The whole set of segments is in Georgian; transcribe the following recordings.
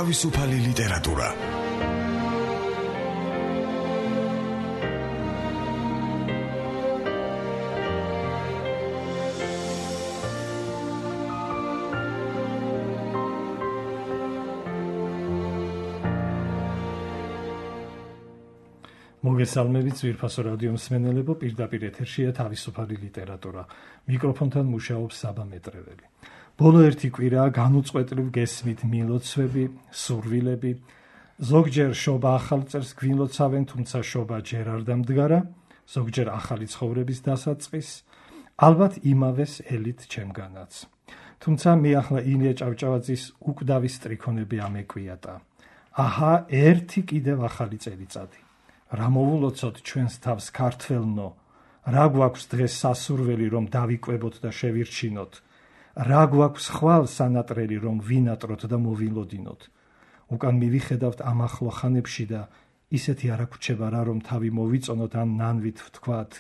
თავისუფალი ლიტერატურა. მოგესალმებით ძვირფასო რადიო მსმენელებო, პირდაპირ ეთერშია თავისუფალი ლიტერატურა. მიკროფონთან მუშაობს საბა მეტრეველი. ბოლო ერთი კვირაა განუწყვეტლივ გესმით მილოცვები, სურვილები. ზოგჯერ შობა ახალ წელს გვილოცავენ, თუმცა შობა ჯერ არ დამდგარა, ზოგჯერ ახალი ცხოვრების დასაწყის, ალბათ იმავეს ელით ჩემგანაც. თუმცა მე ახლა ილია ჭავჭავაძის უკვდავი სტრიქონები ამეკვიატა. აჰა, ერთი კიდევ ახალი წელიწადი. რა მოვულოცოთ ჩვენს თავს ქართველნო, რა გვაქვს დღეს სასურველი რომ დავიკვებოთ და შევირჩინოთ, რა გვაქვს ხვალ სანატრელი რომ ვინატროთ და მოვილოდინოთ. უკან მივიხედავთ ამ ახლო ხანებში და ისეთი არ აგვჩება რა რომ თავი მოვიწონოთ ან ნანვით ვთქვათ,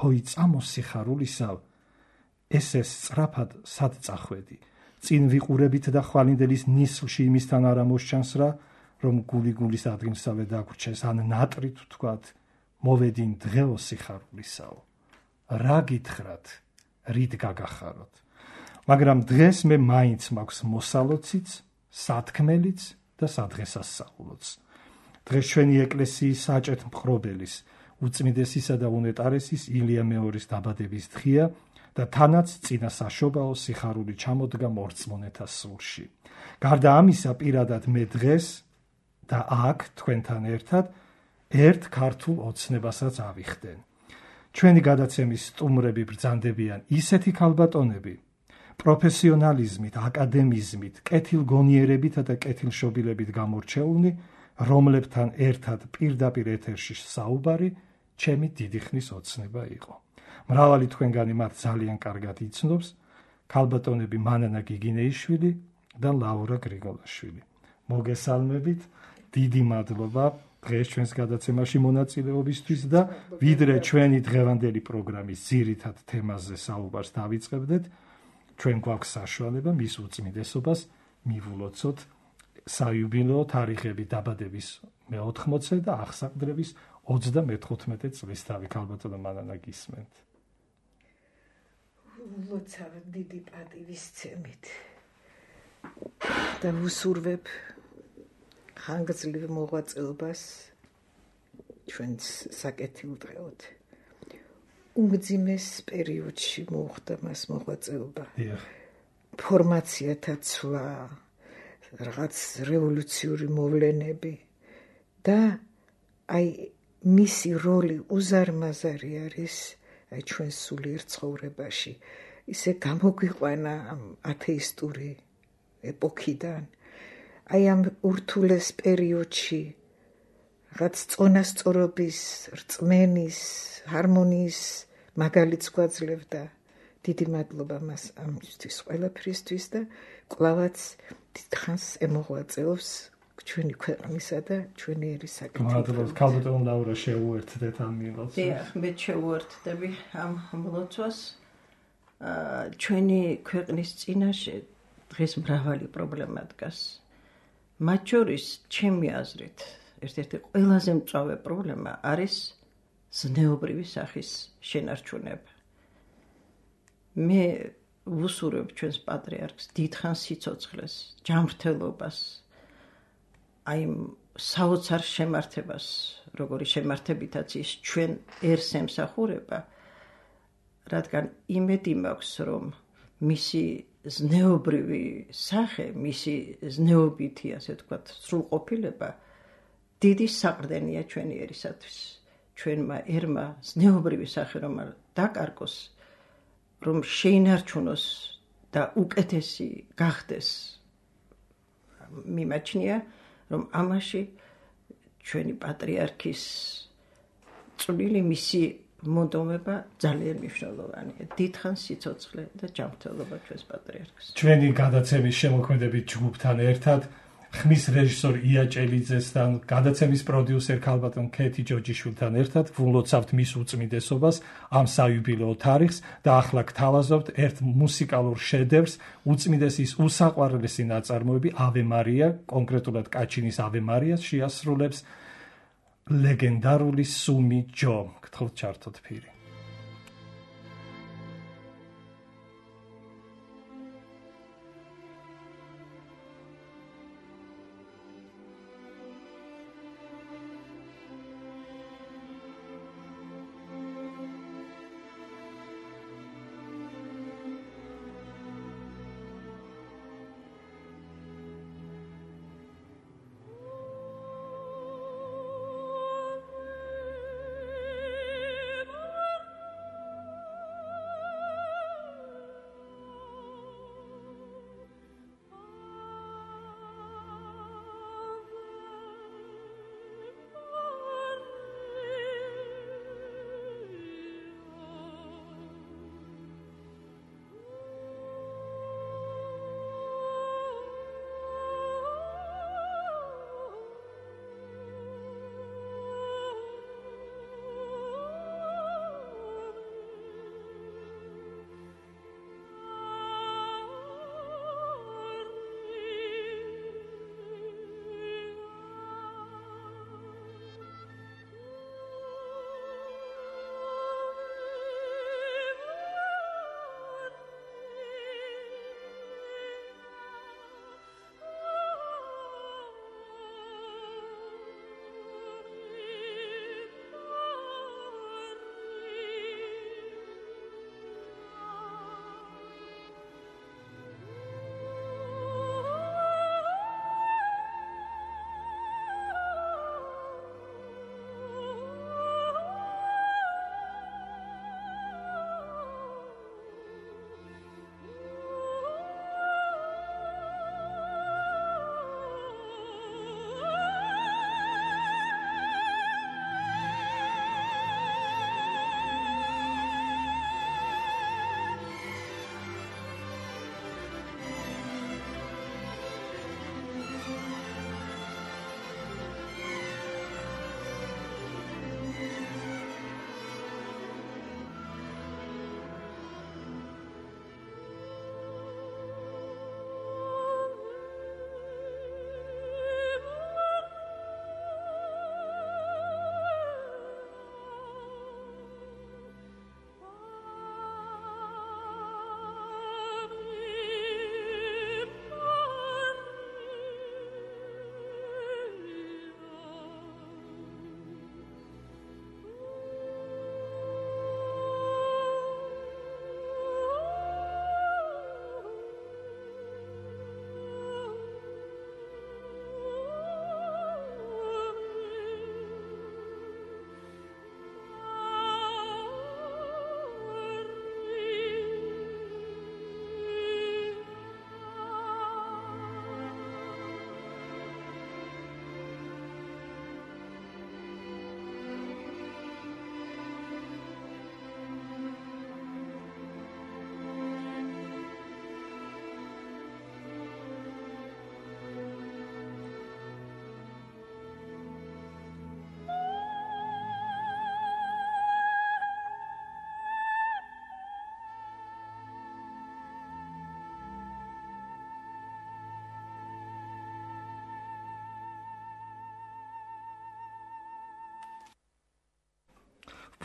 ჰოი წამოს სიხარულისავ, ესე სწრაფად სად წახვედი, წინ ვიყურებით და ხვალინდელის ნისლში იმისთან არ ამოსჩანს რა, რომ გული-გულის ადგილსავე დაგვრჩეს, ან ნატრით ვთქვათ, მოვედინ დღეო სიხარულისაო. რა გითხრათ, რით გაგახაროთ. მაგრამ დღეს მე მაინც მაქვს მოსალოციც, სათქმელიც და სადღესასწაულოც. დღეს ჩვენი ეკლესიის საჭეთ მხრობელის, უწმიდესისა და უნეტარესის ილია მეორის დაბადების დღეა და თანაც წინა საშობაო სიხარული ჩამოდგა მორწმუნეთა სულში. გარდა ამისა, პირადად მე დღეს და აქ თქვენთან ერთად ერთ ქართულ ოცნებასაც ავიხდენ. ჩვენი გადაცემის სტუმრები ბრძანდებიან ისეთი ქალბატონები, პროფესიონალიზმით, აკადემიზმით, კეთილგონიერებით და კეთილშობილებით გამორჩეულნი, რომლებთან ერთად პირდაპირ ეთერში საუბარი ჩემი დიდი ხნის ოცნება იყო. მრავალი თქვენგანი მათ ძალიან კარგად იცნობს, ქალბატონები მანანა გიგინეიშვილი და ლაურა გრიგოლაშვილი. მოგესალმებით, დიდი მადლობა დღეს ჩვენს გადაცემაში მონაწილეობისთვის და ვიდრე ჩვენი დღევანდელი პროგრამის ძირითად თემაზე საუბარს დავიწყებდეთ, ჩვენ გვაქვს საშუალება მის უწმიდესობას მივულოცოთ საიუბილეო თარიღები დაბადების მე-80 და აღსაყდრების 35 წლის თავი. ქალბატონო მანანა გისმენთ. ულოცავ დიდი პატივისცემით და ვუსურვებ ხანგრძლივ მოღვაწეობას ჩვენს საკეთილდღეოდ. უმძიმეს პერიოდში მოხდა მას მოღვაწეობა. ფორმაციათა ცვლა, რაღაც რევოლუციური მოვლენები და აი მისი როლი უზარმაზარი არის აი ჩვენ სულიერ ცხოვრებაში. ისე გამოგვიყვანა ამ ათეისტური ეპოქიდან. აი ამ ურთულეს პერიოდში რაღაც წონასწორობის, რწმენის, ჰარმონიის მაგალითს გვაძლევდა. დიდი მადლობა მას ამისთვის ყველაფრისთვის და კვლავაც დიდხანს ემოღვაწეობს ჩვენი ქვეყნისა და ჩვენი ერის საკითხებს. მადლობა, ქალბატონო ლაურა, შეუერთდეთ ამ მილოცვას. დიახ, მე შევუერთდები ამ მილოცვას. ჩვენი ქვეყნის წინაშე დღეს მრავალი პრობლემა დგას. მათ შორის, ჩემი აზრით, ერთ-ერთი ყველაზე მწვავე პრობლემა არის ზნეობრივი სახის შენარჩუნება. მე ვუსურვებ ჩვენს პატრიარქს დიდხანს სიცოცხლეს, ჯანმრთელობას, აი საოცარ შემართებას, როგორი შემართებითაც ის ჩვენ ერს ემსახურება, რადგან იმედი მაქვს, რომ მისი ზნეობრივი სახე, მისი ზნეობითი, ასე ვთქვათ, სრულყოფილება დიდი საყრდენია ჩვენი ერისათვის. ჩვენმა ერმა ზნეობრივი სახე რომ დაკარგოს, რომ შეინარჩუნოს და უკეთესი გახდეს, მიმაჩნია, რომ ამაში ჩვენი პატრიარქის წვლილი, მისი მონდომება ძალიან მნიშვნელოვანია. დიდხანს სიცოცხლე და ჯანმრთელობა ჩვენს პატრიარქს. ჩვენი გადაცემის შემოქმედებით ჯგუფთან ერთად ხმის რეჟისორ ია ჭელიძესთან, გადაცემის პროდიუსერ ქალბატონ ქეთი ჯოჯიშვილთან ერთად ვულოცავთ მის უწმიდესობას ამ საიუბილეო თარიღს და ახლა გთავაზობთ ერთ მუსიკალურ შედევრს, უწმიდესის უსაყვარლესი ნაწარმოები ave Maria, კონკრეტულად კაჩინის ave Marias შეასრულებს ლეგენდარული სუმი ჯო. გთხოვთ ჩართოთ ფირი.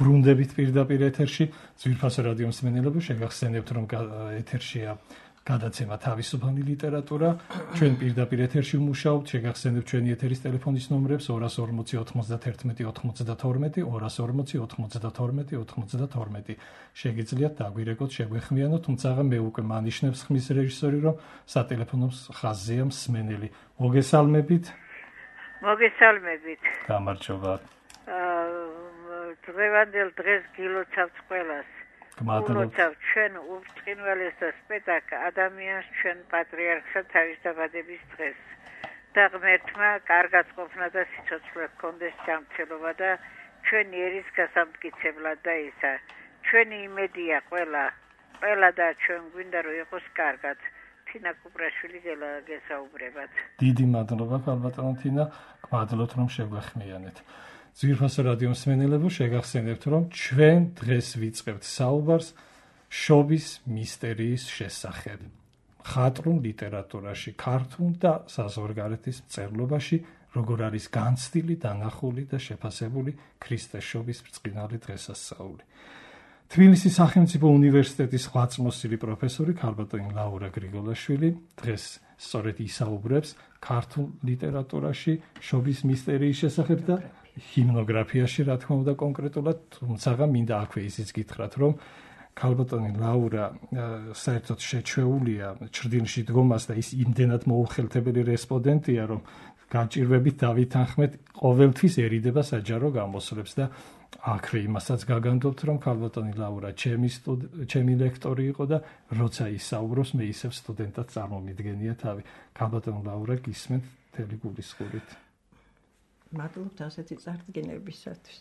ბრუნდებით პირდაპირ ეთერში, ძვირფასო რადიო მსმენელებო, შეგახსენებთ, რომ ეთერშია გადაცემა თავისუფალი ლიტერატურა. ჩვენ პირდაპირ ეთერში ვმუშაობთ, შეგახსენებთ ჩვენი ეთერის ტელეფონის ნომრებს 240 91 92, 240 92 92. შეგიძლიათ დაგვირეკოთ, შეგვეხმიანოთ, თუმცა მე უკვე მანიშნებს ხმის რეჟისორი, რომ სატელეფონო ხაზზეა მსმენელი. მოგესალმებით. მოგესალმებით. გამარჯობა. დღევანდელ დღეს გილოცავთ ყველას. გილოცავთ ჩვენ ურწყინვალეს და სპეტაკ ადამიანს ჩვენ პატრიარქსა თავის დაბადების დღეს. და ღმერთმა კარგად ყოფნა და სიცოცხლე ჰქონდეს ჯანმრთელობა და ჩვენი ერის გასამტკიცებლად და ისა. ჩვენი იმედია ყველა და ჩვენ გვინდა რომ იყოს კარგად. თინა კუპრაშვილი გესაუბრებათ. დიდი მადლობა ქალბატონო თინა, გმადლობთ რომ შეგვეხმიანეთ. ძვირფასო რადიო მსმენელებო, შეგახსენებთ რომ ჩვენ დღეს ვიწყებთ საუბარს შობის მისტერიის შესახებ. მხატვრულ ლიტერატურაში, ქართულ და საზღვარგარეთის მწერლობაში როგორ არის განცდილი, დანახული და შეფასებული ქრისტეს შობის ბრწყინვალე დღესასწაული. თბილისის სახელმწიფო უნივერსიტეტის ღვაწლმოსილი პროფესორი ქალბატონი ლაურა გრიგოლაშვილი დღეს სწორედ ისაუბრებს ქართულ ლიტერატურაში შობის მისტერიის შესახებ და ჰიმნოგრაფიაში, რა თქმა უნდა, კონკრეტულად, თუმცა მინდა აქვე ისიც გითხრათ, რომ ქალბატონი ლაურა საერთოდ შეჩვეულია ჩრდილში დგომას და ის იმდენად მოუხელთებელი რესპონდენტია, რომ განჭირვებით დავითანხმეთ ყოველთვისერიდება საჯარო გამოსვლებს და აქვე იმასაც გაგანდობთ, რომ ქალბატონი ლაურა ჩემი ლექტორი იყო და როცა ისაუბროს, მე ისევ სტუდენტად წარმომიდგენია თავი. ქალბატონი ლაურა, გისმენთ მთელი გულისხმობით. მადლობთ ასეთი წარდგენებისათვის.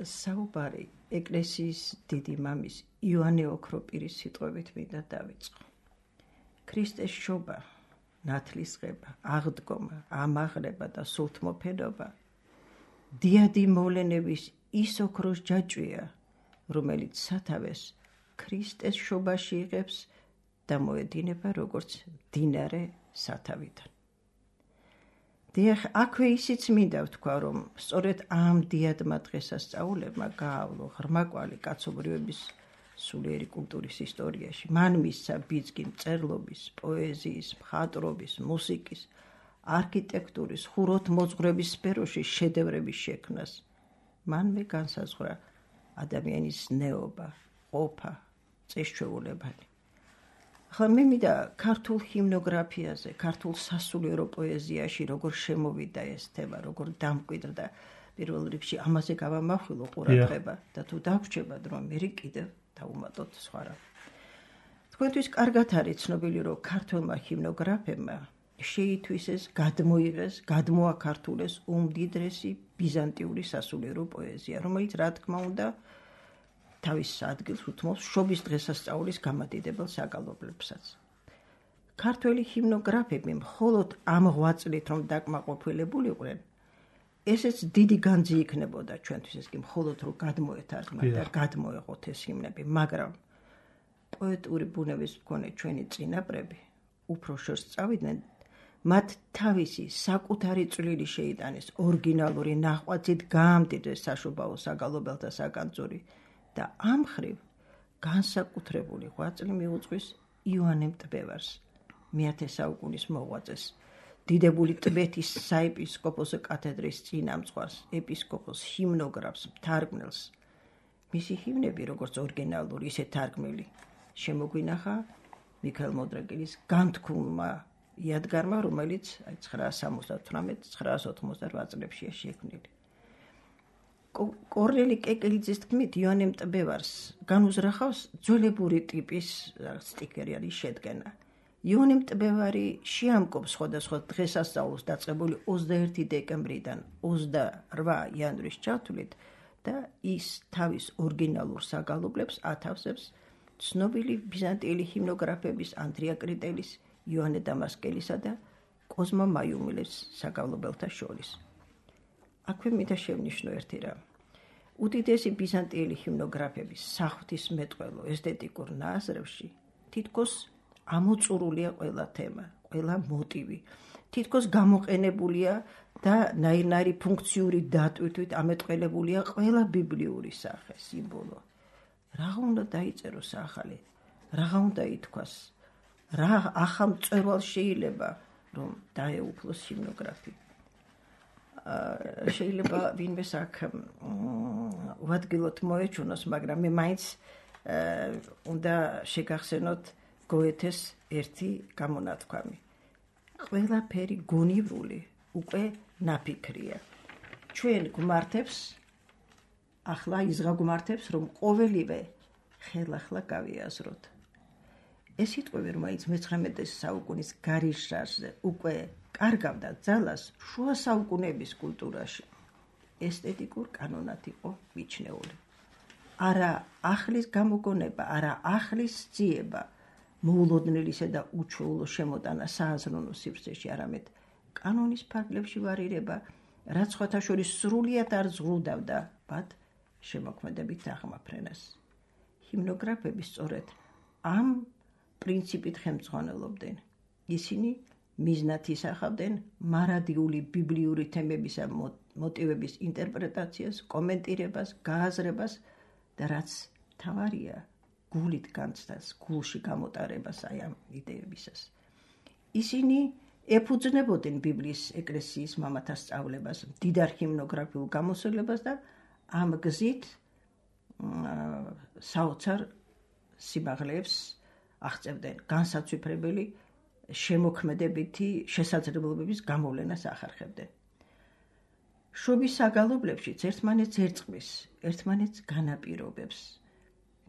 საუბარი ეკლესიის დიდი მამის იოანე ოქროპირის სიტყვებით მინდა დავიწყო. ქრისტეს შობა, ნათლისღება, აღდგომა, ამაღლება და სულთმოფენობა დიადი მოვლენების ის ოქროს ჯაჭვია, რომელიც სათავეს ქრისტეს შობაში იღებს და მოედინება როგორც მდინარე სათავიდან. დიახ, აქვე ისიც მინდა ვთქვა, რომ სწორედ ამ დიადმა დღესასწაულებმა გაავლო ღრმაკვალი კაცობრიობის სულიერი კულტურის ისტორიაში. მან მისცა ბიძგი მწერლობის, პოეზიის, მხატვრობის, მუსიკის, არქიტექტურის, ხუროთმოძღვრების სფეროში შედევრების შექმნას. მანვე განსაზღვრა ადამიანის ნეობა, ყოფა, წესჩვეულებანი. ახლა მე მინდა ქართულ ჰიმნოგრაფიაზე, ქართულ სასულიერო პოეზიაში როგორ შემოვიდა ეს თემა, როგორ დამკვიდრდა, პირველ რიგში ამაზე გავამახვილო ყურადღება და თუ დაგვრჩება დრო, მე კიდევ დავუმატოთ სხვა რა. თქვენთვის კარგად არის ცნობილი, რომ ქართველმა ჰიმნოგრაფებმა შეითვისეს, გადმოიღეს, გადმოაქართულეს უმდიდრესი ბიზანტიური სასულიერო პოეზია, რომელიც რა თქმა უნდა თავის ადგილს უთმობს შობის დღესასწაულის გამადიდებელ საგალობლებსაც. ქართველი ჰიმნოგრაფები მხოლოდ ამ ღვაწლით რომ დაკმაყოფილებულიყვნენ, ესეც დიდი განძი იქნებოდა ჩვენთვის, ეს კი მხოლოდ რომ გადმოეთარგმნათ და გადმოეღოთ ეს ჰიმნები, მაგრამ პოეტური ბუნების მქონე ჩვენი წინაპრები უფრო შორს წავიდნენ, მათ თავისი საკუთარი წვლილი შეიტანეს ორიგინალური ნახვაწით გაამდიდრეს საშობაო საგალობელთა საგანძური და ამ მხრივ განსაკუთრებული ღვაწლი მიუძღვის იოანე მტბევარს, მე-10 საუკუნის მოღვაწეს, დიდებული ტბეთის საეპისკოპოსო კათედრის წინამძღვარს, ეპისკოპოს, ჰიმნოგრაფს, მთარგმნელს. მისი ჰიმნები, როგორც ორიგინალური, ისე თარგმნილი, შემოგვინახა მიქაელ მოდრაკელის განთქმულმა იადგარმა, რომელიც 978-988 წლებშია შექმნილი. კორნელი კეკელიძის თქმით, იოანე მტბევარს განუზრახავს ძველებური ტიპის სტიქერიანი შედგენა. იოანე მტბევარი შეამკობს სხვადასხვა დღესასწაულს დაწყებული 21 დეკემბრიდან 28 იანვრის ჩათვლით და ის თავის ორიგინალურ საგალობლებს ათავსებს ცნობილი ბიზანტიელი ჰიმნოგრაფების ანდრია კრიტელის, იოანე დამასკელისა და კოზმა მაიუმილის საგალობელთა შორის. აქვე მინდა შევნიშნო ერთი რამ. უდიდესი ბიზანტიელი ჰიმნოგრაფების საღვთისმეტყველო ესთეტიკურ ნააზრევში თითქოს ამოწურულია ყველა თემა, ყველა მოტივი, თითქოს გამოყენებულია და ნაირ-ნაირი ფუნქციური დატვირთვით ამეტყველებულია ყველა ბიბლიური სახე, სიმბოლო. რაღა უნდა დაიწეროს ახალი, რაღა უნდა ითქვას, რა ახალ მწერვალს შეიძლება რომ დაეუფლოს ჰიმნოგრაფი. შეიძლება ვინმეს აქ ვადგილოთ მოეჩვენოს, მაგრამ მე მაინც უნდა შეგახსენოთ გოეთეს ერთი გამონათქვამი. ყველაფერი გონივრული უკვე ნაფიქრია. ჩვენ გვმართებს, ახლა იზღა გვმართებს, რომ ყოველივე ხელახლა გავიაზროთ. ეს სიტყვები, რომელიც მე-19 საუკუნის გარეშ შარժზე უკვე კარგავდა ძალას შუა საუკუნეების კულტურაში, ესთეტიკურ კანონად იყო მიჩნეული. არა ახლის გამოგონება, არა ახლის სძიება, მოულოდნელისა და უჩვეულო შემოტანა სააზროვნო სივრცეში, არამედ კანონის ფარგლებში ვარირება, რაც სხვათა შორის სრულიად არ ზღუდავდა ბად შემოქმედებით აღმაფრენას. ჰიმნოგრაფები სწორედ ამ პრინციპით ხელმძღვანელობდნენ. ისინი მიზნად ისახავდნენ მარადიული ბიბლიური თემებისა მოტივების ინტერპრეტაციას, კომენტირებას, გააზრებას და რაც მთავარია, გულით განცდას, გულში გამოტარებას აი ამ იდეებისას. ისინი ეფუძნებოდნენ ბიბლიის ეკლესიის მამათა სწავლებას, მდიდარ ჰიმნოგრაფიულ გამოსვლებას და ამ გზით საოცარ სიმაღლეებს აღწევდნენ, განსაცვიფრებელი შემოქმედებითი შესაძლებლობების გამოვლენას ახერხებდნენ. შობის საგალობლებშიც ერთმანეთს ერწყმის, ერთმანეთს განაპირობებს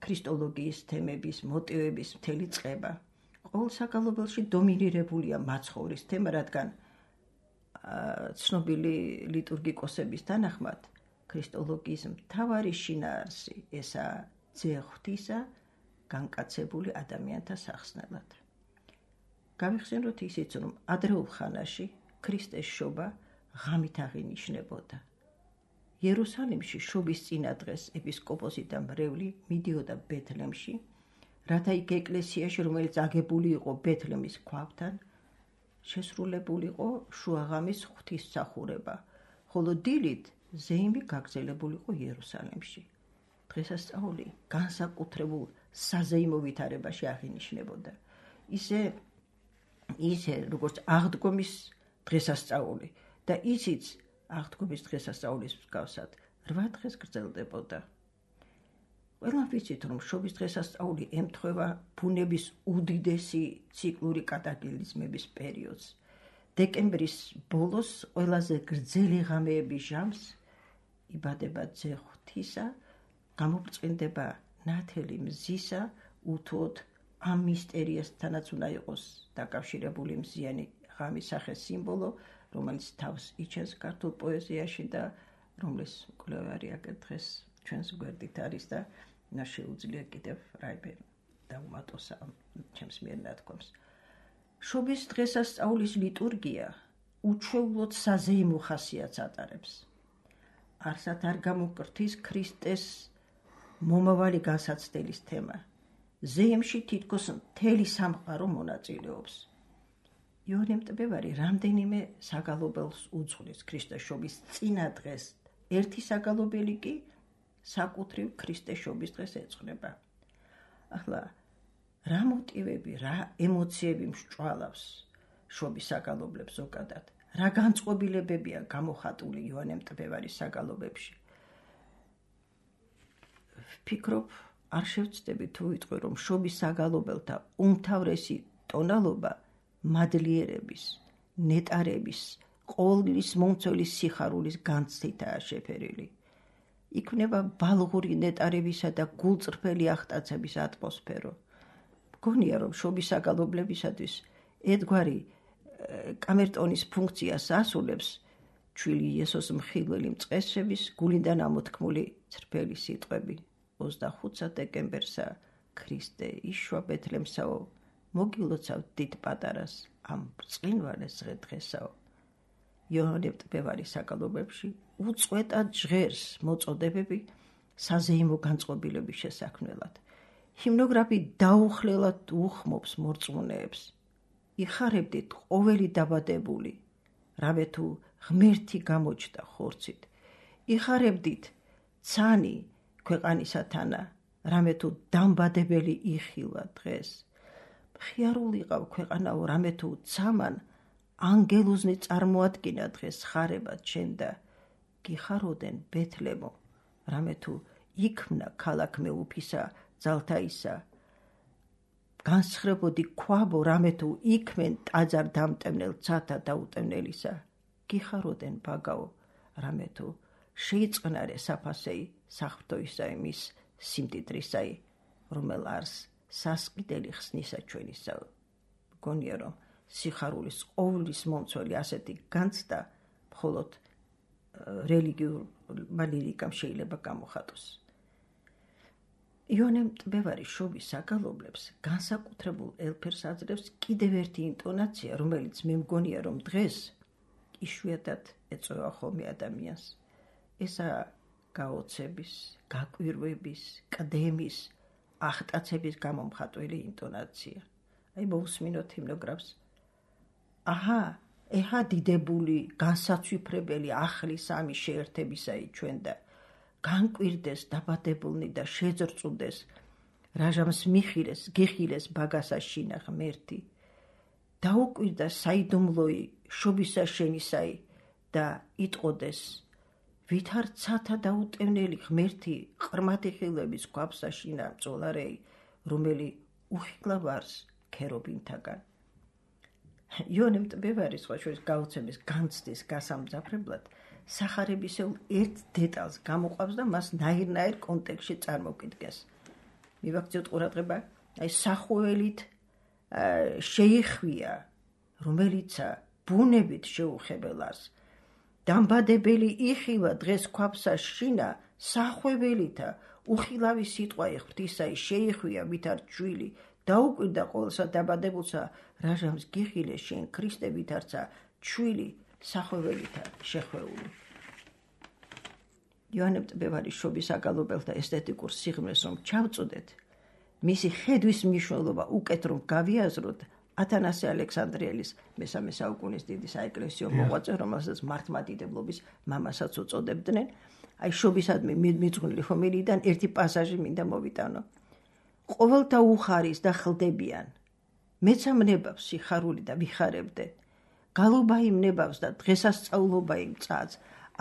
ქრისტოლოგიის თემების, მოტივების მთელი წყება. ყოველ საგალობელში დომინირებულია მაცხოვრის თემა, რადგან ცნობილი ლიტურგიკოსების თანახმად ქრისტოლოგიის მთავარი შინაარსი ესაა ძე ღვთისა განკაცებული ადამიანთა სახსნელად. გავიხსენოთ ისიც, რომ ადრეულ ხანაში ქრისტეს შობა ღამით აღინიშნებოდა. იერუსალიმში შობის წინა დღეს ეპისკოპოსი და მრევლი მიდიოდა ბეთლემში, რათა იქ ეკლესიაში, რომელიც აგებული იყო ბეთლემის ქვაბთან, შესრულებულიყო შუაღამის ღვთისმსახურება, ხოლო დილით ზეიმი გაგრძელებულიყო იერუსალიმში. დღესასწაული განსაკუთრებულ საზეიმო ვითარებაში აღინიშნებოდა. ისე როგორც აღდგომის დღესასწაული და ისიც აღდგომის დღესასწაულის მსგავსად 8 დღეს გრძელდებოდა. ყველამ ვიცით, რომ შობის დღესასწაული ემთხვევა ბუნების უდიდესი ციკლური კატაკლიზმების პერიოდს. დეკემბრის ბოლოს ყველაზე გრძელი ღამეების ჟამს იბადება ძე ღვთისა, გამობრწყინდება ნათელი მზისა, უთუოდ ამ მისტერიასთანაც უნდა იყოს დაკავშირებული მზიანი ღამის სახე სიმბოლო, რომელიც თავს იჩენს ქართულ პოეზიაში და რომლის მკვლევარი აქ დღეს ჩვენს გვერდით არის და შეუძლია კიდევ რაიმე დაუმატოს ამ ჩემს მიერ ნათქვამს. შობის დღესასწაულის ლიტურგია უჩვეულოდ საზეიმო ხასიათს ატარებს. არსად არ გამოკრთის ქრისტეს მომავალი განსაცდელის თემა. ზეიმში თითქოს მთელი სამყარო მონაწილეობს. იოანე მტბევარი რამდენიმე საგალობელს უძღვნის ქრისტეს შობის წინა დღეს. ერთი საგალობელი კი საკუთრივ ქრისტეს შობის დღეს ეძღვნება. ახლა რა მოტივები, რა ემოციები მსჭვალავს შობის საგალობლებს ზოგადად? რა განწყობილებებია გამოხატული იოანე მტბევარის საგალობლებში? ვფიქრობ, არ შევცდები თუ ვიტყვი, რომ შობის საგალობელთა უმთავრესი ტონალობა მადლიერების, ნეტარების, ყოვლის მომცველის სიხარულის განცდითაა შეფერილი. იქმნება ბალღური ნეტარებისა და გულწრფელი ახტაცების ატმოსფერო. მგონია, რომ შობის საგალობლებისათვის ერთგვარი კამერტონის ფუნქციას ასრულებს ჩვილი იესოს მხილველი მწყესების გულიდან ამოთქმული ცრფელი სიტყვები. 25 დეკემბერსა ქრისტე იშვა ბეთლემსაო, მოგილოცავ დიდ პატარას ამ ბრწყინვალეს დღესაო. იოანე მტბევარის საგალობლებში უწყვეტად ჟღერს მოწოდებები საზეიმო განწყობილების შესაქმნელად. ჰიმნოგრაფი დაუხლელად უხმობს მორწმუნეებს. იხარებდით ყოველი დაბადებული, რამე თუ ღმერთი გამოჩნდა ხორცით. იხარებდით ცანი ქვეყანისათანა, რამე თუ დამბადებელი იხილვა დღეს. მხიარულიყავ ქვეყანაო, რამე თუ ცამან ანგელოზნი წარმოადგინა დღეს ხარება ჩვენ და გიხაროდენ ბეთლემო, რამე თუ იქმნა ქალაქ მეუფისა ძალთაისა. განსხრებოდი ქვაბო, რამე თუ იქმენ ტაძარ დამტევნელ ცათა დაუტევნელისა. გიხაროდენ ბაგაო, რამე თუ შეიწყნარე საფასეი საღვთოისაი მის სიმდიდრისაი, რომელ არს სასყიდელი ხსნისა ჩვენისაო. მგონია, რომ სიხარულის ყოვლის მომცველი ასეთი განცდა მხოლოდ რელიგიურმა ლირიკამ შეიძლება გამოხატოს. იონე მტბევარი შობის საგალობლებს განსაკუთრებულ ელფერს აძლევს კიდევ ერთი ინტონაცია, რომელიც მე მგონია, რომ დღეს იშვიათად ეწევა ხოლმე ადამიანს. ესაა გაოცების, გაკვირვების, კდემის, ახტაცების გამომხატველი ინტონაცია. აი მოусმინოთ ჰიმნოგრაფს. აჰა, ეხა დიდებული, განსაცვიფრებელი ახალი სამი შეერთებისაი ჩვენ და განკვირდეს, დაბადებულნი და შეძრწუდეს, რაჟამს მიხილეს, გიხილეს ბაგასა შინა ღმერთი. დაუკვირდა საიდუმლოი შობისა შენისაი და იტყოდეს, ვითარ ცათა დაუტევნელი ღმერთი ყრმადი ხილების გვაფსა შინა მწოლარეი, რომელი უხილავ ვარს ქერობინთაგან. იონე მტბევარი სხვა შორის გაოცების განცდის გასამძაფრებლად სახარებისეულ ერთ დეტალს გამოყვავს და მას ნაირ-ნაირ კონტექსტში წარმოვიდგეს. მივაქციოთ ყურადღება, აი სახუველით შეიხვია, რომელიცა ბუნებით შეუხებელას. დამბადებელი იხილა დღეს ქვაფსა შინა სახვეველითა უხილავი სიტყვაი ღვთისაი შეიხვია ვითარ ჩვილი დაუკვირდა ყოველსა დაბადებულსა რაჟამს გიხილე შენ ქრისტე ვითარცა ჩვილი სახვეველითა შეხვეული. იონე მტბევარის შობის საგალობელთა ესთეტიკურ სიღრმეს რომ ჩავწუდეთ, მისი ხედვის მნიშვნელობა უკეთ რომ გავიაზროთ, ათანასე ალექსანდრიელის მესამე საუკუნის დიდი საეკლესიო მოღვაწე, რომელსაც მართლმადიდებლობის მამასაც უწოდებდნენ, აი შობისადმი მიძღვნილი ჰომილიიდან ერთი პასაჟი მინდა მოვიტანო. ყოველთა უხარის და ხლდებიან, მეცამნებავს სიხარული და ვიხარებდე, გალობა იმნებავს და დღესასწაულობა იმწած,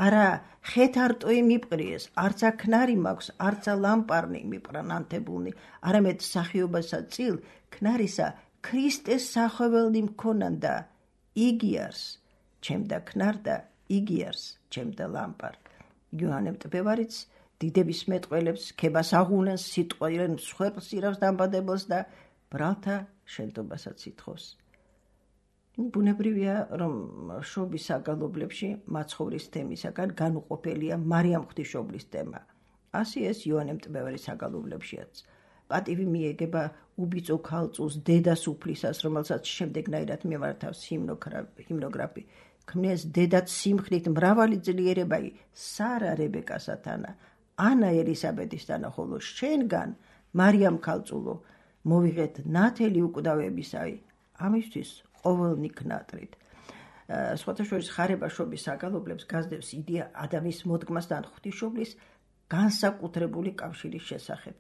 არა ხეთ არტოი მიპყრიეს, არცა ქნარი მაქვს, არცა ლამპარნი მიპრანანთებულნი, არამედ სახიობასა წილ, ქნარისა ქრისტეს სახვეველნი მქონან და იგიარს, ჩემდა ქნარ და იგიარს, ჩემდა ლამპარ. იონე მტბევარიც დიდების მეტყველებს ქებას აღუნენს, სიტყვიან მსხვერპლს ირავს დამბადებელს და ბრალთა შენდობასაც ითხოვს. ბუნებრივია, რომ შობის საგალობლებში მაცხოვრის თემისაგან განუყოფელია მარიამ ღვთისმშობლის თემა. ასე ეს იონე მტბევარის საგალობლებშიაც. პატივი მიეგება უბიწო ქალწულს, დედას უფლისას, რომელსაც შემდეგნაირად მიმართავს ჰიმნოგრაფი. ქმნეს დედაც სიმხლით მრავალი ძლიერებაი სარა რებეკასათანა, ანა ელისაბედისთანა, ხოლო შენგან მარიამ ქალწულო მოვიღეთ ნათელი უკვდავებისაი, ამისთვის ყოველნი ქნატრით. სხვათა შორის ხარება შობის საგალობლებს გაზდევს იდეა ადამიანის მოდგმასთან ღვთისმშობლის განსაკუთრებული კავშირის შესახებ.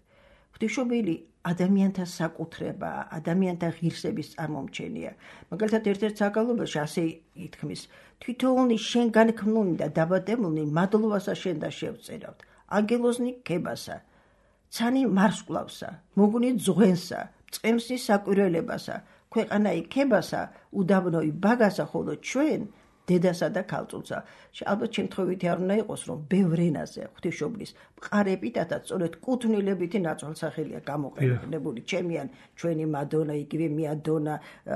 ღვთისმშობელი ადამიანთა საკუთრებაა, ადამიანთა ღირსების წარმომჩენია. მაგალითად, ერთ-ერთ საგალობელში ასე ითქმის, თვითონი შენ განქმნუნი და დაბადებულნი მადლობასა შენ და შევწერავთ. ანგელოზნი ქებასა, ცანი მარსკვლავსა, მოგუნი ძღვენსა, წყემსი საკვირველებასა, ქვეყანაი ქებასა, უდაბნოი ბაგასა, ხოლო ჩვენ დედასა და ქალწულსა. ალბათ შემთხვევითი არ უნდა იყოს, რომ ბევრ ენაზე ღვთისმშობლის მყარებითაც სწორედ კუთვნილებითი ნაწილსახელია გამოყენებული. ჩემიან, ჩვენი მადონა, იგივე მიადონა,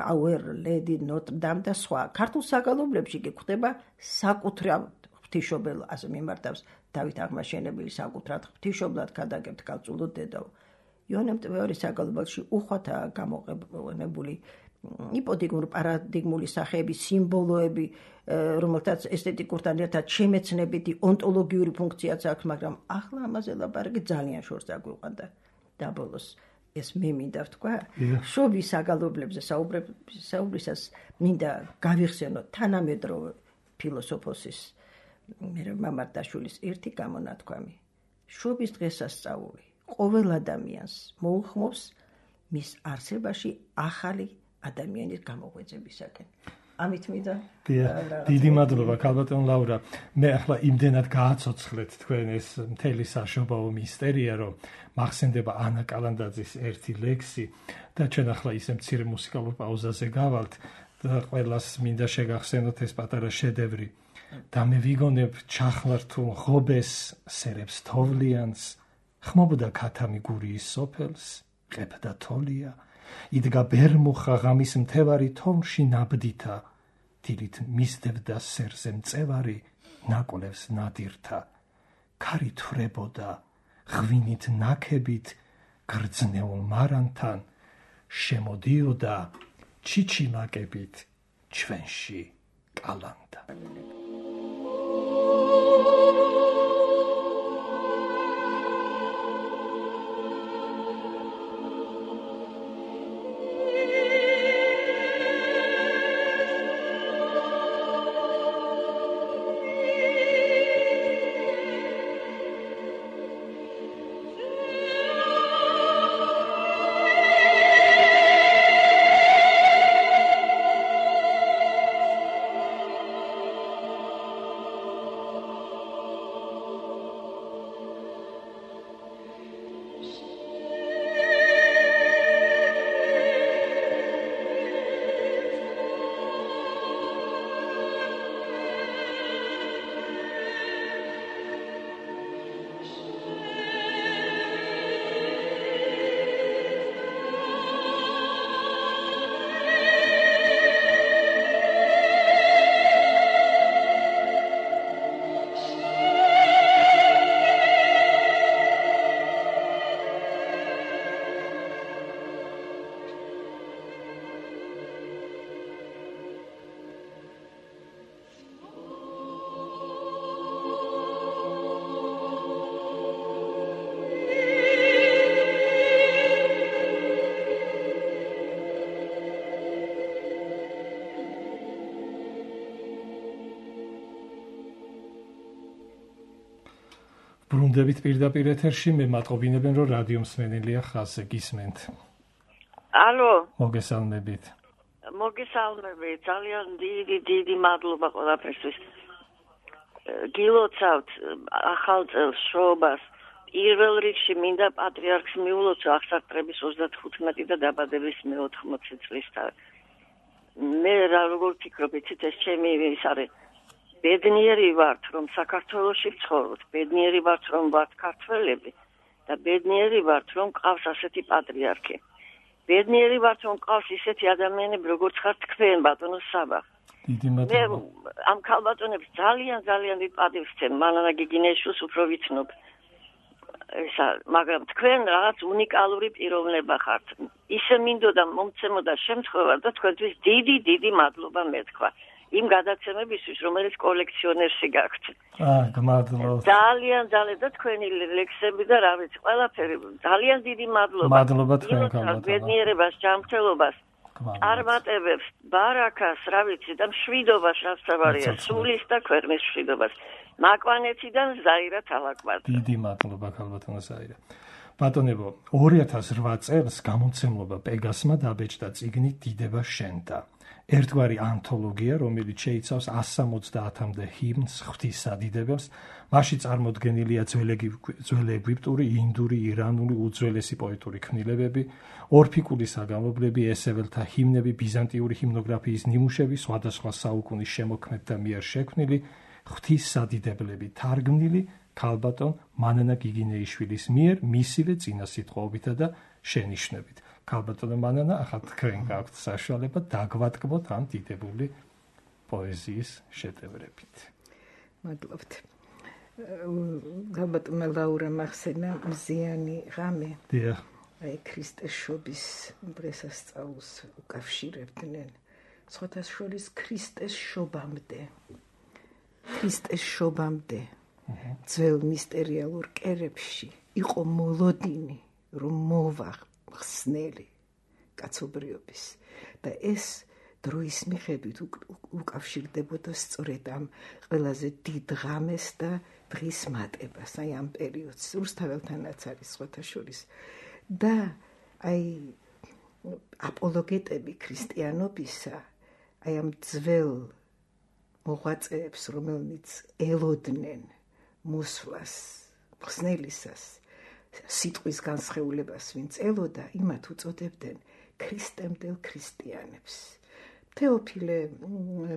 our lady notre dame და სხვა. ქართულ საგალობლებში კი გვხვდება საკუთრივ ღვთისმშობელ, ასე მიმართავს დავით აღმაშენებელი, საკუთრად ღვთისმშობლად გადაგებთ ქალწულო დედაო. იონე მტბევარის საგალობელში უხვათაა გამოყენებული იპოდიგმურ პარადიგმული სახეების სიმბოლოები, რომელთაც ესთეტიკურთან ერთად შემეცნებითი ონტოლოგიური ფუნქციაც აქვს, მაგრამ ახლა ამაზე ლაპარაკი ძალიან შორს აგვიყვანდა. და ბოლოს ეს მე მინდა ვთქვა, შობის საგალობლებზე საუბრისას მინდა გავიხსენოთ თანამედროვე ფილოსოფოსის მამარდაშვილის ერთი გამონათქვამი. შობის დღესასწაული ყოველ ადამიანს მოუხმობს მის არსებაში ახალი ადამიანის გამოღვეძებისაკენ. ამით მინდა დიდი მადლობა ქალბატონ ლაურა. მე ახლა იმდენად გააცოცხლეთ თქვენ ეს მთელი საშობაო მისტერია, რომ მახსენდება ანა კალანდაძის ერთი ლექსი და ჩვენ ახლა ისე მცირე მუსიკალურ პაუზაზე გავალთ და ყველას მინდა შეგახსენოთ ეს პატარა შედევრი. და მე ვიგონებ ჩახლართულ ღობეს სერებს თოვლიანს, ხმობდა ქათამი გურიის სოფელს, ყებდა თოლია, იდგა ბერმუხა ღამის მთევარი თომში ნაბდითა, დილით მისდებდა სერზე მწევარი, ნაკვლევს ნადირთა. ქარი თვრებოდა, ღვინით ნაქებით, გრძნეულ მარანთან შემოდიოდა ჩიჩილაკებით ჩვენში კალანდა. ბრუნდებით პირდაპირ ეთერში, მე მატყობინებენ, რომ რადიო მსმენელია ხაზზე, გისმენთ. ალო. მოგესალმებით. მოგესალმებით, ძალიან დიდი მადლობა ყველაფერთვის. გილოცავთ ახალ წელს შრობას. პირველ რიგში მინდა პატრიარქს მიულოცო აღსარტრების 35 და დაბადების მე-80 წლისთავად. მე როგორ ვფიქრობ, იცით, ეს ჩემი ის არის. ბედნიერი ვართ, რომ საქართველოში ვცხოვრობთ, ბედნიერი ვართ, რომ ვართ ქართველები და ბედნიერი ვართ, რომ ყავს ასეთი პატრიარქი. ბედნიერი ვართ, რომ ყავს ისეთი ადამიანები, როგორც ხართ თქვენ, ბატონო საბა. დიდი მადლობა. ამ ქალბატონებს ძალიან დიდ პატივს ვცემ, მანანა გიგინეიშვილს უფრო ვიცნობ. მაგრამ თქვენ რაღაც უნიკალური პიროვნება ხართ. ისე მინდოდა მომცემოდა შემთხვევა და თქვენთვის დიდი მადლობა მეთქვა. იმ გადაცემებისთვის, რომელიც კოლექციონერში გაქვთ. მადლობა. ძალიან და თქვენი ლექსები და რა ვიცი, ყველაფერი ძალიან დიდი მადლობა. მადლობა თქვენ ქალბატონო. ბედნიერებას, ჯანმრთელობას, წარმატებებს, ბარაქას, რა ვიცი და მშვიდობას, რასწავარია, სულის და ქვეყნის მშვიდობას. მაკვანეთიდან ზაირა თალაკბად. დიდი მადლობა ქალბატონო ზაირა. ბატონებო, 2008 წელს გამომცემლობა პეგასმა დაბეჭდა წიგნი დიდება შენთა. ერთგვარი ანთოლოგია, რომელიც შეიცავს 170-მდე ჰიმნს ღვთის სადიდებელს, მასში წარმოდგენილია ძველი ეგვიპტური, ინდური, ირანული უძველესი პოეტური ქმნილებები, ორფიკული საგამოფლები, ესეველთა ჰიმნები, ბიზანტიური ჰიმნოგრაფიის ნიმუშები, სხვადასხვა საუკუნის შემოქმედთა მიერ შექმნილი ღვთის სადიდებლები, თარგმნილი ქალბატონ მანანა გიგინეიშვილის მიერ მისივე წინასიტყვაობითა და შენიშვნებით. ქალბატონო მანანა, ახლა თქვენ გაქვთ საშუალება დაგვატკბოთ ამ დიდებული პოეზიის შედევრებით. მადლობთ. ქალბატონმა ლაურამ ახსენა მზიანი ღამე. დიახ. აი ქრისტეს შობის დღესასწაულს უკავშირებდნენ. სხვათა შორის ქრისტეს შობამდე. ქრისტეს შობამდე. ძველ მისტერიალურ კერებში იყო მოლოდინი, რომ მოვა ხსნელი კაცობრიობის და ეს დროის მიხედვით უკავშირდებოდა სწორედ ამ ყველაზე დიდ ღამეს და დღის მატებას, აი ამ პერიოდს, რუსთაველთანაც არის სხვათა შორის და აი აპოლოგეტები ქრისტიანობისა, აი ამ ძველ მოღვაწეებს, რომელნიც ელოდნენ მოსვლას, ხსნელისას, სიტყვის განსხეულებას, ვინც ელოდა, იმათ უწოდებდნენ ქრისტემდელ ქრისტიანებს. თეოფილე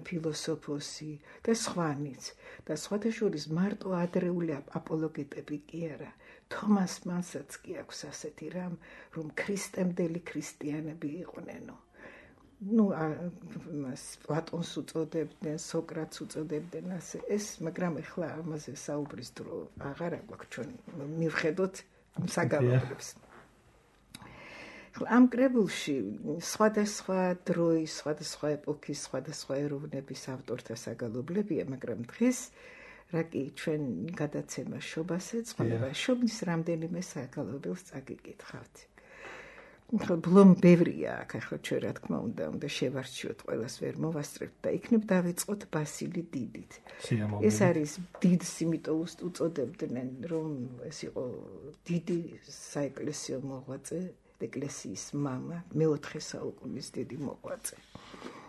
ფილოსოფოსი და სხვანიც და სხვათა შორის მარტო ადრეული აპოლოგეტები კი არა, თომას მანსაც კი აქვს ასეთი რამ, რომ ქრისტემდელი ქრისტიანები იყვნენო. პლატონს უწოდებდნენ, სოკრატს უწოდებდნენ ასე ეს, მაგრამ ეხლა ამაზე საუბრის დრო აღარა გვაქვს ჩვენ მივხედოთ საგალობლებს. ამ კრებულში სხვადასხვა დროის, სხვადასხვა ეპოქის, სხვადასხვა ეროვნების ავტორთა საგალობლებია, მაგრამ დღეს რა კი ჩვენ გადაცემა შობას ეწყობა, შობის რამდენიმე საგალობელს წაგიკითხავთ. ბლომ ბევრია აქ, ახლა ჩვენ რა თქმა უნდა შევარჩიოთ, ყველას ვერ მოვასწრებთ და იქნებ დავიწყოთ ბასილი დიდით. ეს არის დიდს იმიტომ უწოდებდნენ, რომ ეს იყო დიდი საეკლესიო მოღვაწე, ეკლესიის მამა, მე-4 საუკუნის დიდი მოღვაწე.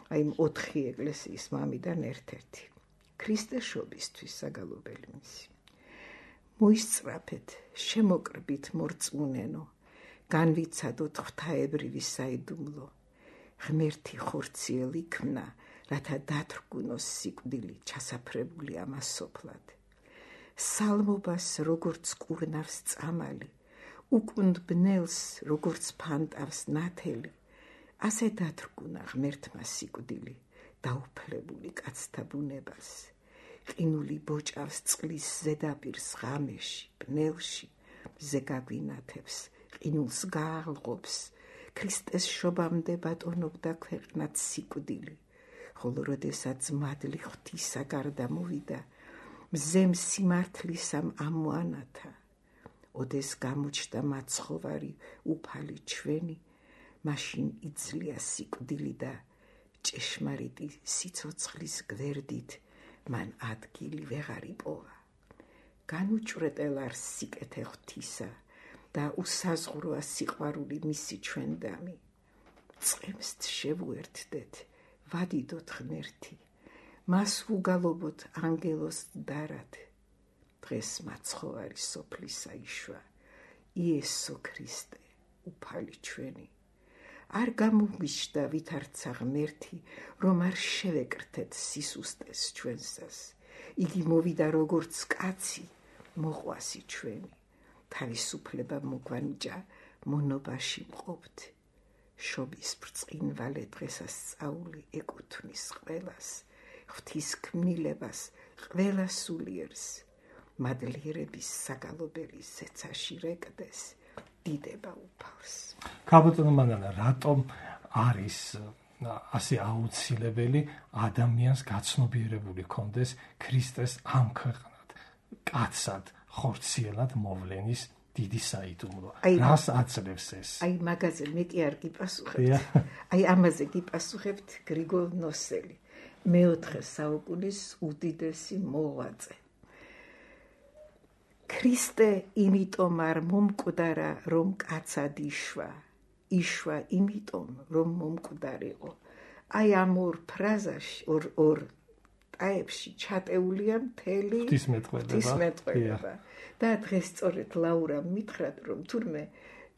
აი 4 ეკლესიის მამიდან ერთ-ერთი. ქრისტეს შობისთვის საგალობელი მისი. მოისწრაფეთ, შემოკრბით მორწმუნენო, განვიცადოთ ღვთაებრივი საიდუმლო, ღმერთი ხორციელი ქმნა, რათა დათრგუნოს სიკვდილი ჩასაფრებული ამას სოფლად. სალმობას როგორც კურნავს წამალი, უკუნდ ბნელს როგორც ფანტავს ნათელი, ასე დათრგუნა ღმერთმა სიკვდილი, დაუფლებული კაცთა ბუნებას. ყინული ბოჭავს წყლის ზედაპირს ღამეში, ბნელში, მზე გაგვინათებს, ყინულს გააღლყობს, ქრისტეს შობამდე ბატონობდა ქვეყნად სიკვდილი, ხოლო როდესაც მადლი ღვთისა გარდა მოვიდა, მზემ სიმართლისამ ამოანათა. ოდეს გამოჩნდა მაცხოვარი უფალი ჩვენი, მაშინ იძლია სიკვდილი და ჭეშმარიტი სიცოცხლის გვერდით მან ადგილი ვეღარ იპოვა. განუჭრეტელ არს სიკეთე ღვთისა და უსაზღვროა სიყვარული მისი ჩვენდამი. წყემს შევუერთდეთ, ვადიდოთ ღმერთი, მას ვუგალობოთ ანგელოს დარად. დღეს მაცხოვარი სოფლისა იშვა, იესო ქრისტე, უფალი ჩვენი. არ გამომიშდა ვითარცა ღმერთი, რომ არ შევეკრთეთ სისუსტეს ჩვენსას. იგი მოვიდა როგორც კაცი, მოყვასი ჩვენი. თავისუფლება მოგვანიჭა, მონობაში მყოფთ. შობის ბრწყინვალე დღესასწაული ეკუთვნის ყველას, ღვთის ქმნილებას ყველა სულიერს. მადლიერების საგალობელი ზეცაში რეკდეს, დიდება უფალს. ქაბატონო მანანა, რატომ არის ასე აუცილებელი ადამიანს გაცნობიერებული კონდეს ქრისტეს ამ ქვეყნად, კაცად, ხორციელად მოვლენის დიდი საიდუმლო? რას აძლევს ეს? აი მაგაზე მე კი არ გიპასუხებთ. აი ამაზე გიპასუხებთ გრიგოლ ნოსელი, მე-4 საუკუნის უდიდესი მოღვაწე. ქრისტე იმიტომ არ მომკვდარა, რომ კაცად იშვა, იშვა იმიტომ, რომ მომკვდარიყო. აი ამ ორ ფრაზაში, ორ ტაებში ჩატეულია მთელი ღვთისმეტყველება. და დღეს სწორედ ლაურამ მითხრათ, რომ თურმე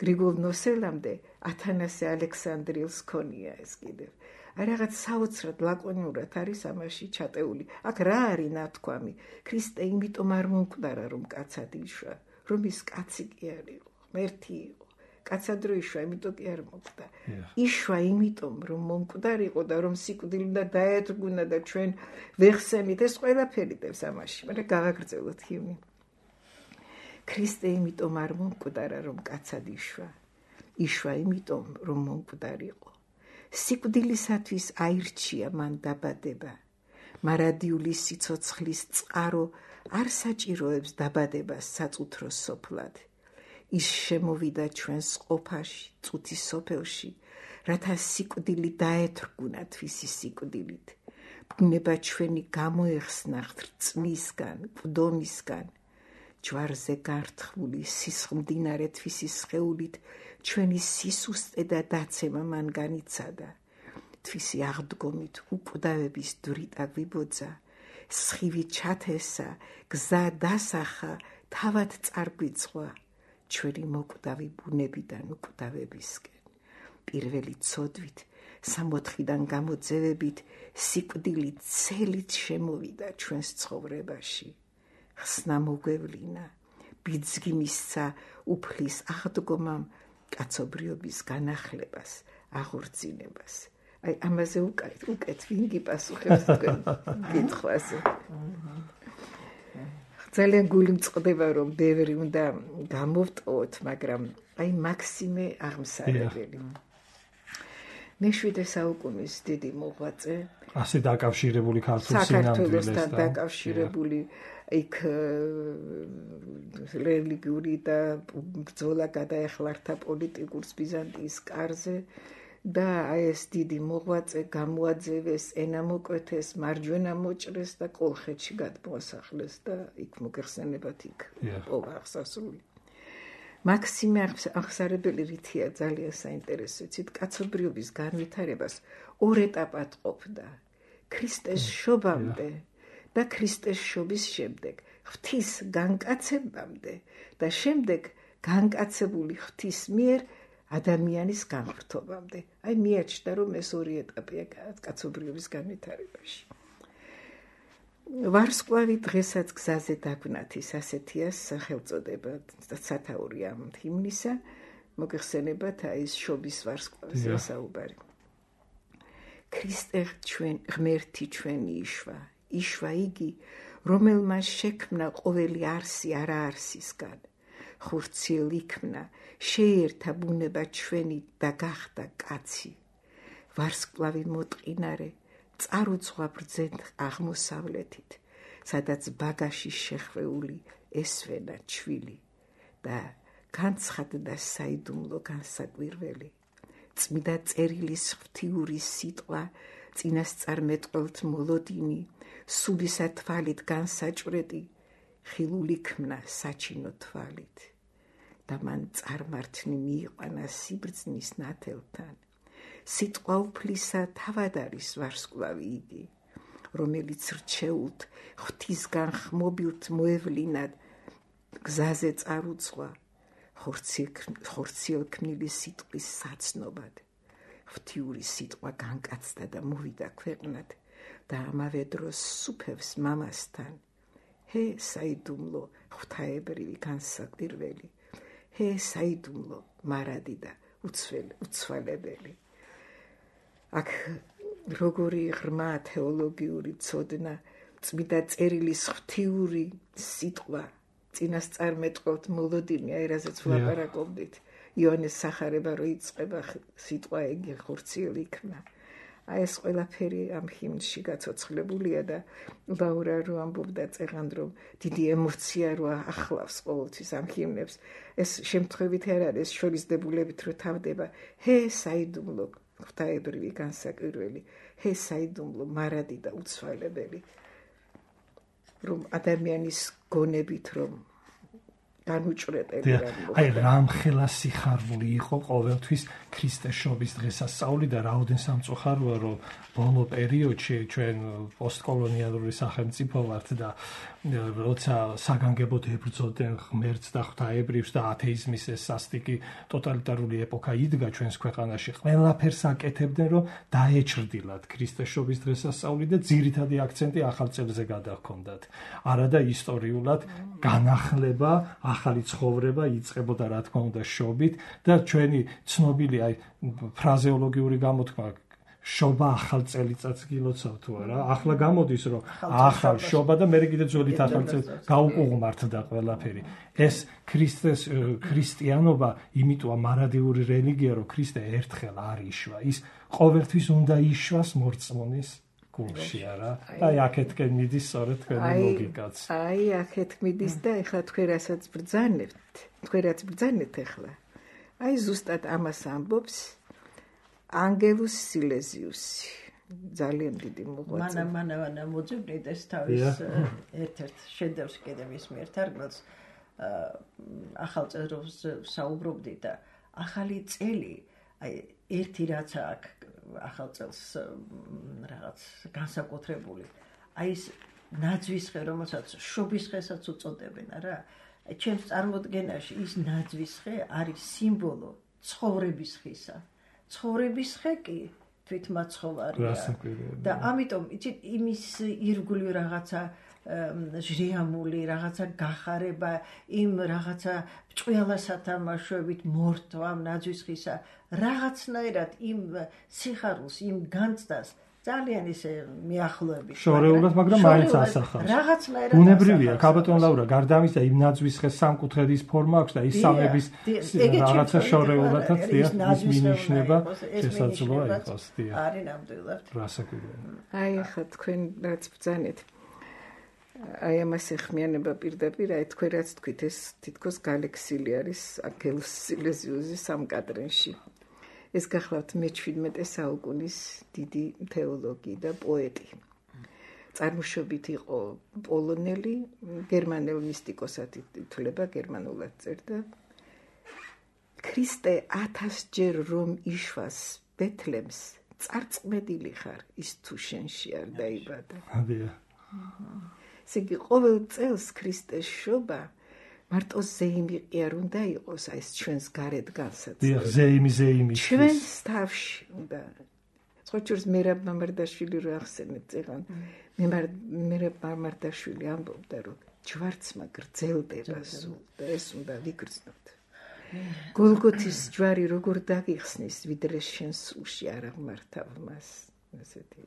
გრიგოლ ნოსელამდე ათანასე ალექსანდრიელს ქონია ეს კიდევ. რაღაც საოცრად ლაკონიურად არის ამაში ჩატეული. აქ რა არის ნათქვამი? ქრისტე იმიტომ არ მომკვდარა, რომ კაცად იშვა, რომ ის კაცი კი არ იყო, ღმერთი იყო. კაცად რო იშვა, იმიტომ კი არ მომკვდა. იშვა იმიტომ, რომ მომკვდარიყო და რომ სიკვდილი უნდა დაეთრგუნა და ჩვენ ვეხსენით, ეს ყველაფერი დევს ამაში, მაგრამ გავაგრძელოთ ჰიმნი. ქრისტე იმიტომ არ მომკვდარა, რომ კაცად იშვა, იშვა იმიტომ, რომ მომკვდარიყო. სიკვდილისათვის აირჩია მან დაბადება, მარადიული სიცოცხლის წყარო არ საჭიროებს დაბადებას საწუთრო სოფლად. ის შემოვიდა ჩვენს ყოფაში, წუთის სოფელში, რათა სიკვდილი დაეთრგუნა თვისი სიკვდილით. ბუნება ჩვენი გამოეხსნა ხრწმისგან, კვდომისგან. ჯვარზე გართხმული სისხლმდინარე თვისის სხეულით ჩვენი სისუსტე და დაცემა მან განიცადა. თვისი აღდგომით უკვდავების დრიტა გვიბოძა, სხივი ჩათესა, გზა დასახა, თავად წარგვიწყვა, ჩვენი მოკვდავი ბუნებიდან უკვდავებისკენ. პირველი ცოდვით, 64-დან გამოძევებით, სიკვდილი ცელით შემოვიდა ჩვენს ცხოვრებაში. ხსნა მოგვევლინა, ბიძგი მისცა უფლის აღდგომამ, კაცობრიობის განახლებას, აღორძინებას. აი ამაზე უკეთ ვინ გიპასუხებს თქვენ კითხვაზე? ძალიან გული მწყდება რომ ბევრი უნდა გამოვტყოთ, მაგრამ აი მაქსიმე აღმსარებელი. მე-7 საუკუნის დიდი მოღვაწე, ასე დაკავშირებული ქართულ საქართველოსთან დაკავშირებული იქ რელიგიური და ბრძოლა გადაეხლართა პოლიტიკურს ბიზანტიის კარზე და აი ეს დიდი მოღვაწე გამოაძევეს, ენა მოკვეთეს, მარჯვენა მოჭრეს და კოლხეთში გადმოასახლეს და იქ მოგეხსენებათ იქ პოვა აღსასრული. მაქსიმე აღმსარებელი რითია ძალიან საინტერესო, იცით, კაცობრიობის განვითარებას ორ ეტაპად ყოფდა. ქრისტეს შობამდე და ქრისტეს შობის შემდეგ, ღვთის განკაცებამდე და შემდეგ განკაცებული ღვთის მიერ ადამიანის განხრთობამდე. აი მიაჩნდა რომ ეს ორი ეტაპია კაცობრიობის განვითარებაში. ვარსკვლავი დღესაც გზაზე დაგვნათის, ასეთია სახელწოდება სათაური ამ ჰიმნისა, მოგეხსენებათ აი ეს შობის ვარსკვლავზე საუბარი. ქრისტე ღმერთი ჩვენი იშვა იგი, რომელმაც შექმნა ყოველი არსი არაარსისგან, ხურციელ იქმნა, შეერთა ბუნება ჩვენი და გახდა კაცი. ვარსკვლავი მოტყინარე, წარუძღვა ბრძენ აღმოსავლეთით, სადაც ბაგაში შეხვეული ესვენა ჩვილი და განცხადდა საიდუმლო განსაკვირველი. წმიდა წერილის ღვთიური სიტყვა, წინასწარმეტყველთ მოლოდინი, სულისა თვალით განსაჭვრეტი, ხილული ქმნა საჩინო თვალით. და მან წარმართნი მიიყვანა სიბრძნის ნათელთან. სიტყვა უფლისა თავად არის ვარსკვლავი იგი, რომელიც რჩეულთ ღვთისგან ხმობილთ მოევლინად გზაზე წარუძღვა, ხორციელქმნილი სიტყვის საცნობად. ღვთიური სიტყვა განკაცდა და მოვიდა ქვეყნად და ამავე დროს სუფევს მამასთან. ჰე საიდუმლო ღვთაებრივი განსაკვირველი, ჰე საიდუმლო მარადი და უცვალებელი. აქ როგორი ღრმა თეოლოგიური ცოდნა, წმიდა წერილის ღვთიური სიტყვა, წინასწარმეტყველთ მოლოდინი, აი რაზეც ვლაპარაკობდით, იოანეს სახარება რო იწყება სიტყვა იგი ხორციელი იქნა. აი ეს ყველაფერი ამ ჰიმნში გაცოცხლებულია და ლაურა რო ამბობდა წეღან რომ დიდი ემოცია რო ახლავს ყოველთვის ამ ჰიმნებს, ეს შემთხვევით არ არის შორისდებულებით რო თავდება, ჰე საიდუმლო ღვთაებრივი განსაკვირველი, ჰე საიდუმლო მარადი და უცვალებელი, რომ ადამიანის გონებით რომ განუჭრეტელი რამე. აი რამხელა სიხარული იყო ყოველთვის ქრისტეს შობის დღესასწაული და რაოდენ სამწუხაროა რომ ბოლო პერიოდში ჩვენ პოსტკოლონიალური სახელმწიფო ვართ და როცა საგანგებოდ ებრძოდნენ ღმერთს და ღვთაებრივს და ათეიზმის ეს სასტიკი ტოტალიტარული ეპოქა იდგა ჩვენს ქვეყანაში, ყველაფერს აკეთებდნენ რომ დაეჩრდილათ ქრისტეს შობის დღესასწაული და ძირითადი აქცენტი ახალ წელზე გადაჰქონდათ. არადა ისტორიულად განახლება, ახალი ცხოვრება იწყებოდა რა თქმა უნდა შობით და ჩვენი ცნობილი აი ფრაზეოლოგიური გამოთქმა შობა ახალ წელიწადს გილოცავ თუ არა, ახლა გამოდის რომ ახალ შობა და მე კიდე ძველით ახალ წელს გაუკუღმართდა ყველაფერი. ეს ქრისტიანობა იმიტოა მარადიული რელიგია რომ ქრისტე ერთხელ არ იშვა, ის ყოველთვის უნდა იშვას მორწმუნის გულში არა. აი აქეთკენ მიდის სწორედ თქვენი ლოგიკაც. აი აქეთ მიდის და ეხლა თქვენ რასაც ბრძანებთ, თქვენ რაც ბრძანეთ ეხლა. აი ზუსტად ამას ამბობს ანგელუს სილეზიუსი, ძალიან დიდი მოღვაწე. მანა მოძებნით ეს თავის ერთ-ერთ შედევრს კიდევ ისმიერ თარგმნელს ახალ წელს საუბრობდით და ახალი წელი, აი ერთი რაც აქ ახალ წელს რაღაც განსაკუთრებული, აი ეს ნაძვის ხე, რომელსაც შობის ხესაც უწოდებენ, არა? ჩემს წარმოდგენაში ის ნაძვის ხე არის სიმბოლო ცხოვრების ხისა. ცხოვრების ხე კი თვითმაცხოვარია და ამიტომ იცით იმის ირგვლივ რაღაცა ჟრიამული, რაღაცა გახარება, იმ რაღაცა ჭყიალა სათამაშოებით მორთვა ნაძვის ხისა, რაღაცნაირად იმ სიხარულს, იმ განცდას ძალიან ისე მიახლოებით. შორეულად, მაგრამ მაინც ასახავს. რაღაცნაირად ბუნებრივია, ქალბატონ ლაურა, გარდა ამისა, იმ ნაძვის ხეს სამკუთხედის ფორმა აქვს და ის სამების რაღაცა შორეულადაც ის მინიშნება შესაძლოა იყოს. არის ნამდვილად. რასაკვირველია. აი ხა თქვენ რაც ბრძანეთ. აი ამას ეხმიანება პირდაპირ, აი თქვენ რაც თქვით, ეს თითქოს გალექსილი არის ანგელუს სილეზიუსის სამკადრენში. ეს გახლავთ მე-17 საუკუნის დიდი თეოლოგი და პოეტი. წარმოშობით იყო პოლონელი, გერმანელ მისტიკოსად ითვლება, გერმანულად წერდა. ქრისტე 1000-ჯერ რომ იშვას ბეთლემს, წარწმედილი ხარ, ის თუ შენში არ დაიბადა. ესე იგი, ყოველ წელს ქრისტეს შობა მარტო ზეიმი კი არ უნდა იყოს, აი ეს ჩვენს გარეთ განსაცდელი. ზეიმი. ჩვენს თავში უნდა. ხოჭურს მერაბ მამარდაშვილი რო ახსენეთ წეგან. მერაბ მამარდაშვილი ამბობდა, რომ ჯვარცმა გრძელდება სულ და ეს უნდა ვიგრძნოთ. გოლგოთის ჯვარი როგორ დაგიხსნის, ვიდრე შენ სულში არ აღმართავ მას. ესეთი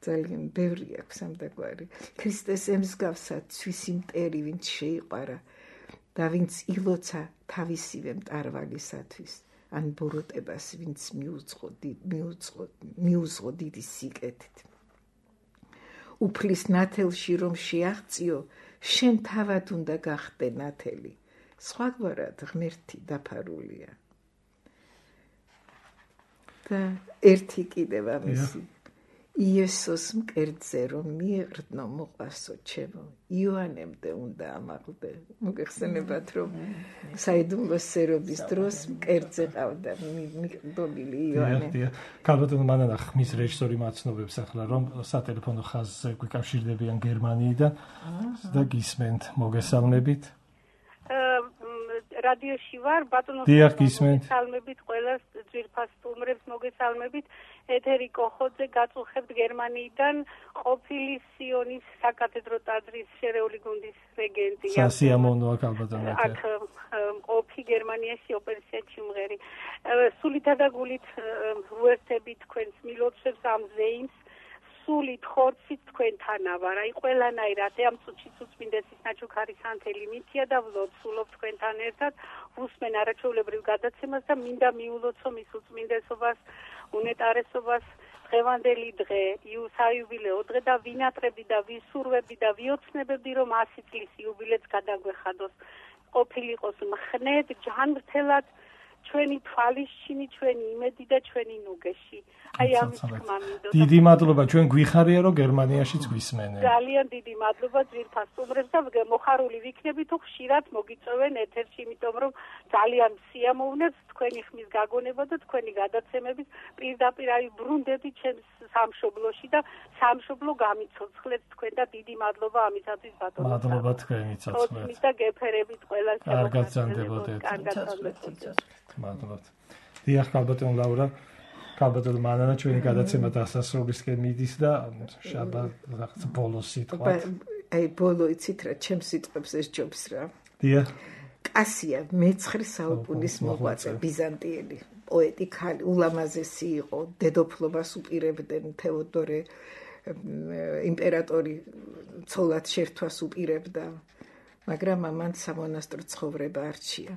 ძალიან ბევრი აქვს ამ დაგვარი. ქრისტეს ემსგავსად ცვისი მტერი, ვინც შეიყვარა და ვინც ილოცა თავისივე მტარვალისათვის, ან ბოროტებას, ვინც მიუძღო დიდი სიკეთით. უფლის ნათელში რომ შეაღწიო, შენ თავად უნდა გახდე ნათელი. სხვაგვარად ღმერთი დაფარულია. და ერთი კიდევ ამისი. იესოს მკერდზე რომ მიეღრდნო მოყვასო ჩემო, იოანემდე უნდა ამაღლდე. მოგეხსენებათ რომ საიდუმლოს სერობის დროს მკერდზე ყავდა მიყრდნობილი იოანე. ქალბატონ მანანა ხმის რეჟისორი მაცნობებს ახლა რომ სატელეფონო ხაზზე გვიკავშირდებიან გერმანიიდან და გისმენთ. მოგესალმებით. რადიოში ვარ, ბატონო. დიახ, გისმენთ. მოგესალმებით ყველას ძვირფას სტუმრებს, მოგესალმებით. ეთერი კოხოძე, გაწუხებთ გერმანიიდან, ყოფილი სიონის საკათედრო ტაძრის შერეული გუნდის რეგენტია. სასიამოვნოა ქალბატონო. აქ ყოფი გერმანიაში ოპერაციად სიმღერი. სულითა და გულით ვუერთებით თქვენს მილოცვებს ამ ზეიმს. სულით ხორცით თქვენთანა ვარ. აი ყველანაირად ამ წუთში წმინდესის ნაჩუქარი სანთელი მითია და ვლოცულობ თქვენთან ერთად. უსმენ არაჩვეულებრივ გადაცემას და მინდა მიულოცო მის უწმინდესობას, უნეტარესობას დღევანდელი დღე, საიუბილეო დღე და ვინატრები და ვისურვები და ვიოცნებები, რომ 100 წლის იუბილეც გადაგვეხადოს. ყოფილიყოს მხნედ, ჯანმრთელად, ჩვენი თვალისჩინი, ჩვენი იმედი და ჩვენი ნუგეში. აი ამის თქმა მინდოდა. დიდი მადლობა, ჩვენ გვიხარია რომ გერმანიაშიც გვისმენენ. ძალიან დიდი მადლობა ძვირფას სტუმრებს და მოხარული ვიქნები თუ ხშირად მოგიწევენ ეთერში, იმიტომ რომ ძალიან სიამოვნებს თქვენი ხმის გაგონება და თქვენი გადაცემების პირდაპირ აი ბრუნდები ჩემს სამშობლოში და სამშობლო გამიცოცხლეთ თქვენ და დიდი მადლობა ამისათვის ბატონო. მადლობა თქვენიცაც. ოთმის და გეფერებით ყველა კარგად ზამდებოდეთ. მადლობა. დიახ, ქალბატონ ლაურა, ქალბატონ მანანა ჩვენი გადაცემა დასასრულისკენ მიდის და შაბათ რაღაც ბოლოს სიტყვა. აი ბოლო იცით რა, ჩემს სიტყვებს ეს ჯობს რა. დიახ. კასია მე-9 საუკუნის მოღვაწე ბიზანტიელი პოეტი ქალი, ულამაზესი იყო, დედოფლობას უპირებდნენ, თეოდორე იმპერატორი ცოლად შერთვას უპირებდა, მაგრამ ამან სამონასტრო ცხოვრება არჩია.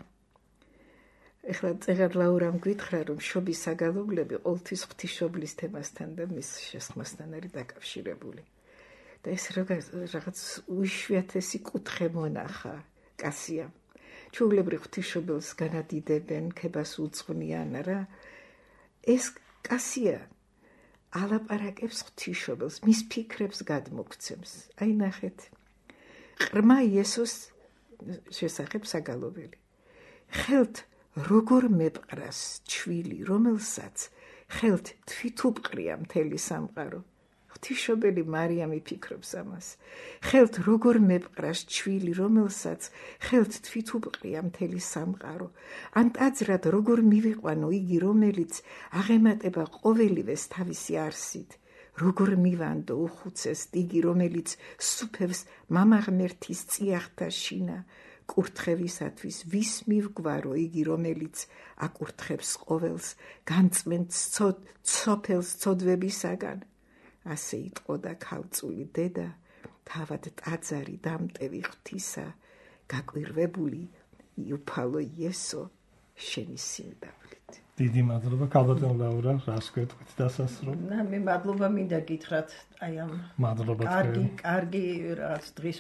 ეხლა წეგარ ლაურამ გითხრა, რომ შობის საგალობლები ყოველთვის ღვთისმშობლის თემასთან და მის შესხმასთან არის დაკავშირებული. და ეს რაღაც უიშვიათესი კუთხე მონახა კასია. ჩვეულებრივ ღვთისმშობელს განადიდებენ, ქებას უძღვნიან რა. ეს კასია ალაპარაკებს ღვთისმშობელს, მის ფიქრებს გადმოგცემს. აი ნახეთ. ყრმა იესოს შესახებ საგალობელი. ხელთ როგორ მეპყრას ჩვილი, რომელსაც ხელთ თვით უპყრია მთელი სამყარო. ღვთისმშობელი მარიამი ფიქრობს ამას. ხელთ როგორ მეპყრას ჩვილი, რომელსაც ხელთ თვით უპყრია მთელი სამყარო. ან ტაძრად როგორ მივიყვანო იგი, რომელიც აღემატება ყოველივეს თავისი არსით. როგორ მივანდო უხუცეს იგი, რომელიც სუფევს მამა ღმერთის წიაღთა შინა. კურთხევისათვის ვის მივგვარო იგი რომელიც აკურთხებს ყოველს განწმენდ სოფელს ცოდვებისაგან ასე იტყოდა ქალწული დედა თავად ტაძარი დამტევი ღვთისა გაკვირვებული იუფალო იესო შენი სიმდაბლით დიდი მადლობა ქალბატონ ლაურა რას გვეტყვით დასასრულ მე მადლობა მინდა გითხრათ აი ამ კარგი რაღაც დღის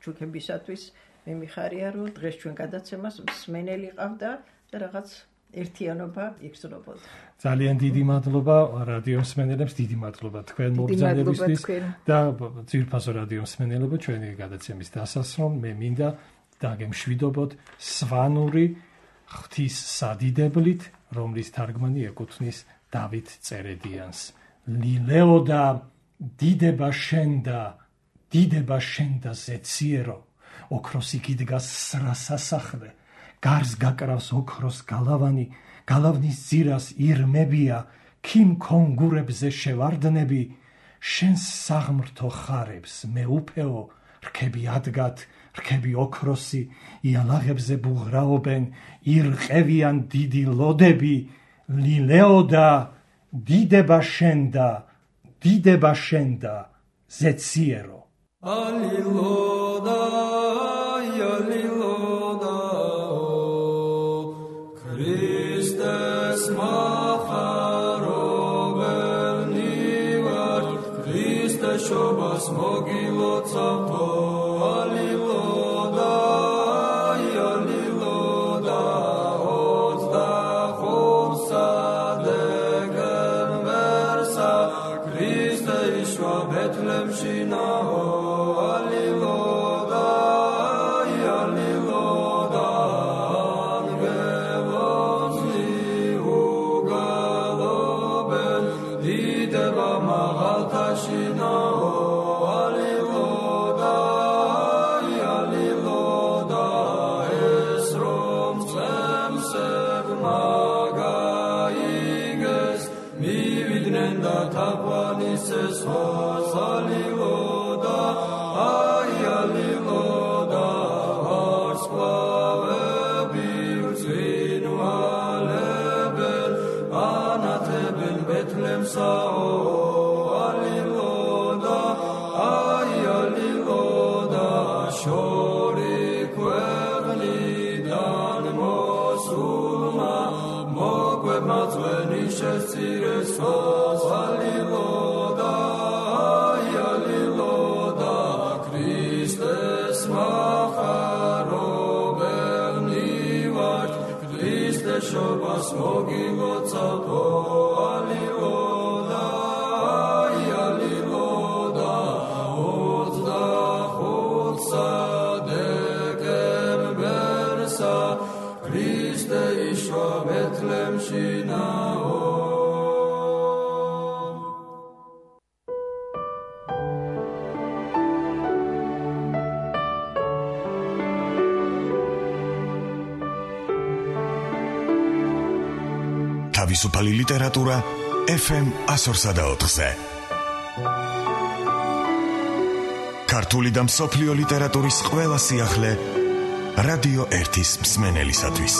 ჩუქებისათვის მე მიხარია რომ დღეს ჩვენ გადაცემას მსმენელი ყავდა და რაღაც ერთიანობა იგრძნობოდა ძალიან დიდი მადლობა რადიო მსმენელებს დიდი მადლობა თქვენ მოგზაურობისთვის და ძვირფასო რადიო მსმენელებო ჩვენი გადაცემის დასასრულ მე მინდა დაგემშვიდობოთ სვანური ღვთის სადიდებლით რომლის თარგმანი ეკუთვნის დავით წერედიანს ლილეოდა დიდება შენდა ზეციერო ოქროსი გიდგას სრა სასახლე გარს გაკრავს ოქროს გალავნის ძირას ირმებია ქიმ კონგურებზე შევარდნები შენს საღმრთო ხარებს მეუფეო რქები ადგათ რქები ოქროსი იალაღებზე ბუღრაობენ ირყევიან დიდი ლოდები ლილეოდა დიდება შენდა ზეციერო ალილოდა ალილოდა ქრისტეს მახარობელნი ვარ ქრისტეს შობას მოგილოცავთო ალილოდა ალილოდა ოცდახორსა დეკემბერსა ქრისტე იშვა ბეთლემში ნაო ალილოდა ალილოდა ანგელოზი უგალობენ დიდება მაღალთაში ნაო ალილოდა ალილოდა ეს რომ წემსებ მაგაიგეს მივიდნენ და თაყვანისეს ალილოდა ალილოდა ვარსკვლავები ვრწინვალებენ ანათებენ ბეთლემსაო ალილოდა ალილოდა შორი ქვეყნიდან მოსულმა მოგვებმა ძვენი შესწირეს ალილოდა ალილოდა ქრისტეს მახარობელნი ვართ ქრისტეს შობას მოგილოცავთო ალილოდა ალილოდა ოცდახორსა დეკემბერსა ქრისტე იშვა ბეთლემში ნაო თავისუფალი ლიტერატურა FM 104-ზე. ქართული და მსოფლიო ლიტერატურის ყველა სიახლე რადიო 1-ის მსმენელისათვის.